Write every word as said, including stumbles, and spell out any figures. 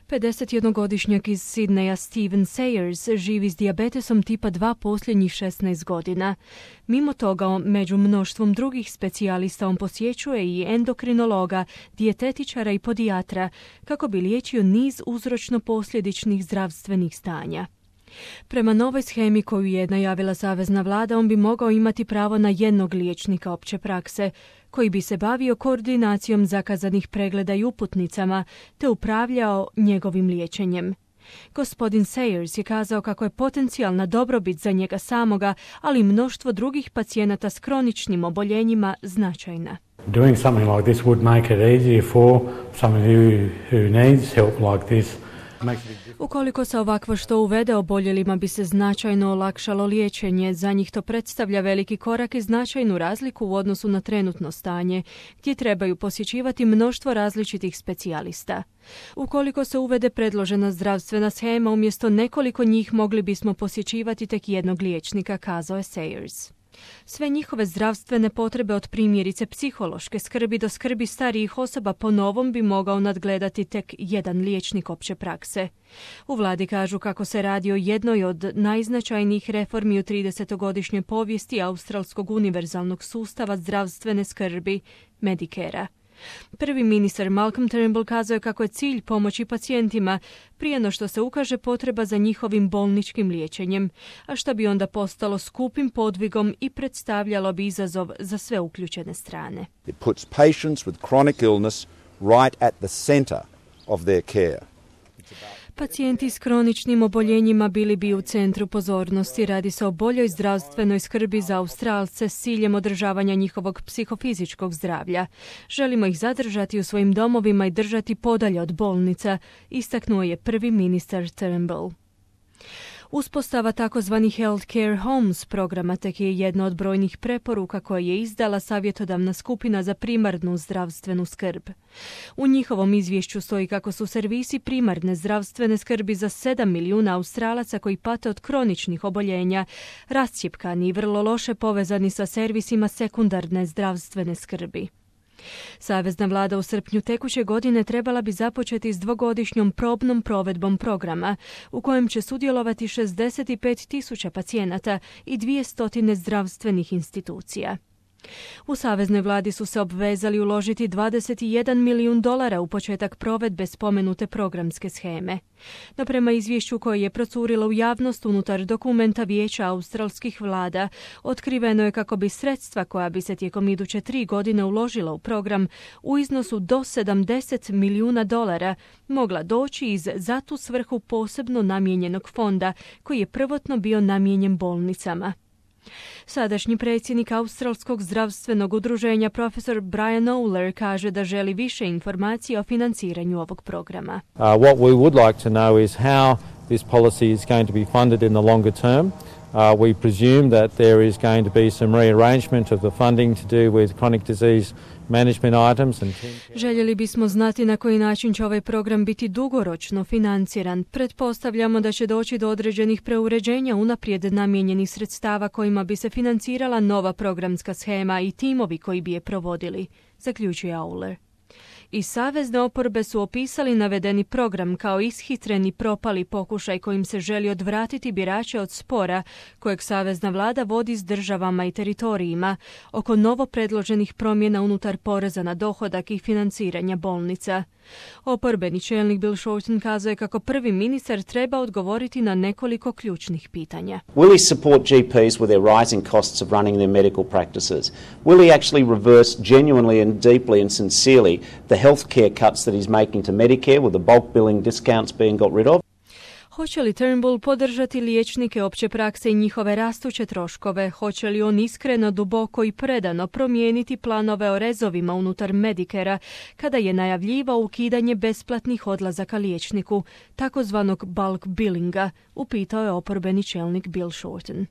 pedesetjednogodišnjak iz Sidneja Steven Sayers živi s dijabetesom tipa dva posljednjih šesnaest godina. Mimo toga, među mnoštvom drugih specijalista on posjećuje i endokrinologa, dijetetičara i podijatra kako bi liječio niz uzročno-posljedičnih zdravstvenih stanja. Prema novoj shemi koju je najavila savezna vlada, on bi mogao imati pravo na jednog liječnika opće prakse, koji bi se bavio koordinacijom zakazanih pregleda i uputnicama, te upravljao njegovim liječenjem. Gospodin Sayers je kazao kako je potencijalna dobrobit za njega samoga, ali i mnoštvo drugih pacijenata s kroničnim oboljenjima značajna. Doing something like this would make it easier for someone who, who needs help like this. Ukoliko se ovakvo što uvede, oboljelima bi se značajno olakšalo liječenje. Za njih to predstavlja veliki korak i značajnu razliku u odnosu na trenutno stanje, gdje trebaju posjećivati mnoštvo različitih specijalista. Ukoliko se uvede predložena zdravstvena shema, umjesto nekoliko njih mogli bismo posjećivati tek jednog liječnika, kazao je Sayers. Sve njihove zdravstvene potrebe od primjerice psihološke skrbi do skrbi starijih osoba po novom bi mogao nadgledati tek jedan liječnik opće prakse. U vladi kažu kako se radi o jednoj od najznačajnijih reformi u tridesetogodišnjoj povijesti australskog univerzalnog sustava zdravstvene skrbi, Medicare-a. Prvi ministar Malcolm Turnbull kazao je kako je cilj pomoći pacijentima prije no što se ukaže potreba za njihovim bolničkim liječenjem, a što bi onda postalo skupim podvigom i predstavljalo bi izazov za sve uključene strane. It puts patients with chronic illness right at the center of their care. Pacijenti s kroničnim oboljenjima bili bi u centru pozornosti. Radi se o boljoj zdravstvenoj skrbi za Australce s ciljem održavanja njihovog psihofizičkog zdravlja. Želimo ih zadržati u svojim domovima i držati podalje od bolnica, istaknuo je prvi ministar Turnbull. Uspostava takozvanih Healthcare Homes programa tek je jedna od brojnih preporuka koje je izdala savjetodavna skupina za primarnu zdravstvenu skrb. U njihovom izvješću stoji kako su servisi primarne zdravstvene skrbi za sedam milijuna Australaca koji pate od kroničnih oboljenja rascjepkani i vrlo loše povezani sa servisima sekundarne zdravstvene skrbi. Savezna vlada u srpnju tekuće godine trebala bi započeti s dvogodišnjom probnom provedbom programa u kojem će sudjelovati šezdeset pet tisuća pacijenata i dvjesto zdravstvenih institucija. U saveznoj vladi su se obvezali uložiti dvadeset jedan milijun dolara u početak provedbe spomenute programske sheme. No prema izvješću koje je procurilo u javnost unutar dokumenta Vijeća australskih vlada, otkriveno je kako bi sredstva koja bi se tijekom iduće tri godine uložila u program u iznosu do sedamdeset milijuna dolara mogla doći iz za tu svrhu posebno namijenjenog fonda koji je prvotno bio namijenjen bolnicama. Sadašnji predsjednik Australskog zdravstvenog udruženja profesor Brian Oler kaže da želi više informacija o financiranju ovog programa. Uh, what we would like to know is how this policy is going to be funded in the longer term. Uh, we presume that there is going to be some rearrangement of the funding to do with chronic disease management items and Željeli bismo znati na koji način će ovaj program biti dugoročno financiran. Pretpostavljamo da će doći do određenih preuređenja unaprijed namijenjenih sredstava kojima bi se financirala nova programska shema i timovi koji bi je provodili, zaključuje Auler. I savezne oporbe su opisali navedeni program kao ishitreni propali pokušaj kojim se želi odvratiti birače od spora kojeg savezna vlada vodi s državama i teritorijima oko novo predloženih promjena unutar poreza na dohodak i financiranja bolnica. Oporbeni čelnik Bill Shorten kazao je kako prvi ministar treba odgovoriti na nekoliko ključnih pitanja. Will he support G Ps with their rising costs of running their medical practices? Will he actually reverse genuinely and deeply and sincerely the healthcare cuts that he's making to Medicare with the bulk billing discounts being got rid of? Hoće li Turnbull podržati liječnike opće prakse i njihove rastuće troškove? Hoće li on iskreno, duboko i predano promijeniti planove o rezovima unutar Medicare-a kada je najavljivao ukidanje besplatnih odlazaka liječniku, takozvanog bulk billinga, upitao je oporbeni čelnik Bill Shorten.